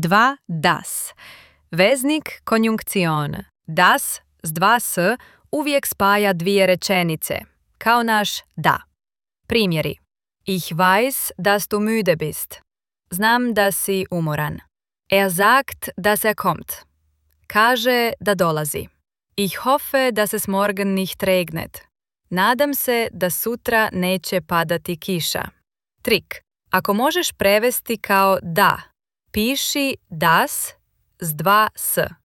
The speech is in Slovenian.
2 das. Veznik konjunkcion. Das s 2 s uvijek spaja dvije rečenice, kao naš da. Primjeri. Ich weiß, dass du müde bist. Znam da si umoran. Er sagt, dass er kommt. Kaže da dolazi. Ich hoffe, dass es morgen nicht regnet. Nadam se da sutra neće padati kiša. Trik. Ako možeš prevesti kao da, piši das s 2 s.